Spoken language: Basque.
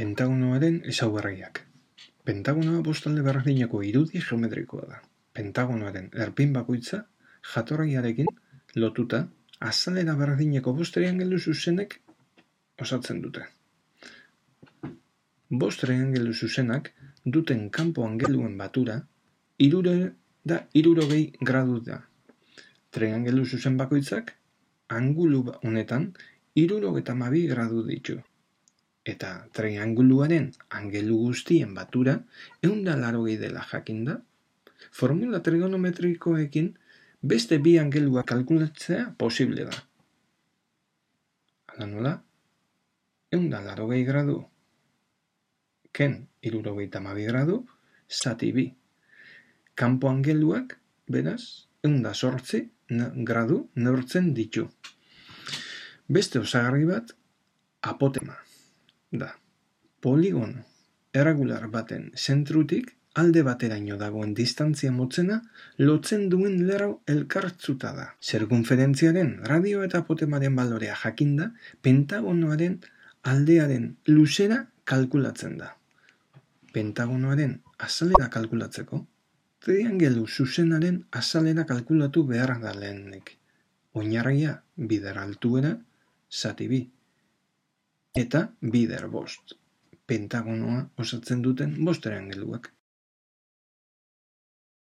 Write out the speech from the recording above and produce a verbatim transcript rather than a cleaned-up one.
Pentagonoaren ezaugarriak. Pentagonoa bost alde berdineko irudi geometrikoa da. Pentagonoaren erpin bakoitza jatorriarekin lotuta azalera berdineko bost triangelu zuzenek osatzen dute. Bost triangelu zuzenak duten kanpo angeluen batura hirurehun eta hirurogei gradu da. Triangelu zuzen bakoitzak angulu honetan hirurogeita hamabi gradu ditu. Eta trianguluaren angelu guztien batura ehun eta laurogei dela jakinda, formula trigonometrikoekin beste bi angeluak kalkulatzea posible da. Hala nola, ehun eta laurogei gradu ken hirurogeita hamabi gradu zati bi. Kanpo angeluak, beraz, ehun eta zortzi gradu neurtzen ditu. Beste osagarri bat, apotema da. Poligono erregular baten zentrutik alde bateraino dagoen distantzia motzena lotzen duen lerro elkartzuta da. Zirkunferentziaren radio eta apotemaren balorea jakinda, pentagonoaren aldearen luzera kalkulatzen da. Pentagonoaren azalera kalkulatzeko, triangelu zuzenaren azalera kalkulatu behar da lehenik. Oinarria bider altuera zati bi. Eta bider bost. Pentagonoa osatzen duten bost triangeluak.